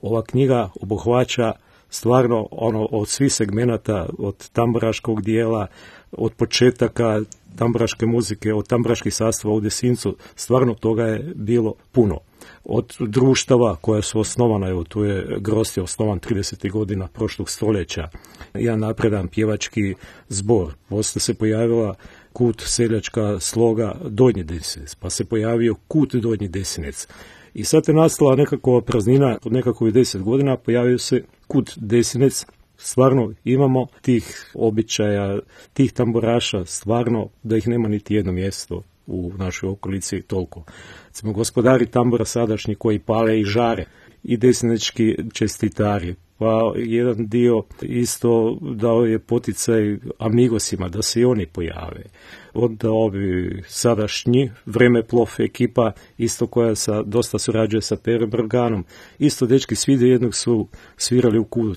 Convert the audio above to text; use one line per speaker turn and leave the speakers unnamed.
Ova knjiga obuhvaća stvarno od svih segmenata, od tamburaškog dijela, od početaka tamburaške muzike, od tamburaških sastava u Desincu, stvarno toga je bilo puno. Od društava koja su osnovana, evo tu je Grozd je osnovan 30. godina prošlog stoljeća, jedan napredan pjevački zbor, poslije se pojavila Kut seljačka sloga Donji Desinec, pa se pojavio Kut Donji Desinec. I sad je nastala nekakva praznina od nekakvih 10 godina, pojavio se Kut Desinec. Stvarno imamo tih običaja, tih tamburaša, stvarno da ih nema niti jedno mjesto u našoj okolici toliko. Recimo, gospodari tambura sadašnji koji pale i žare, i desinečki čestitari, pa jedan dio isto dao je poticaj amigosima da se i oni pojave. Onda ovi sadašnji Vremeplov ekipa, isto koja dosta surađuje sa Perom Brganom, isto dečki svi do jednog su svirali u Kut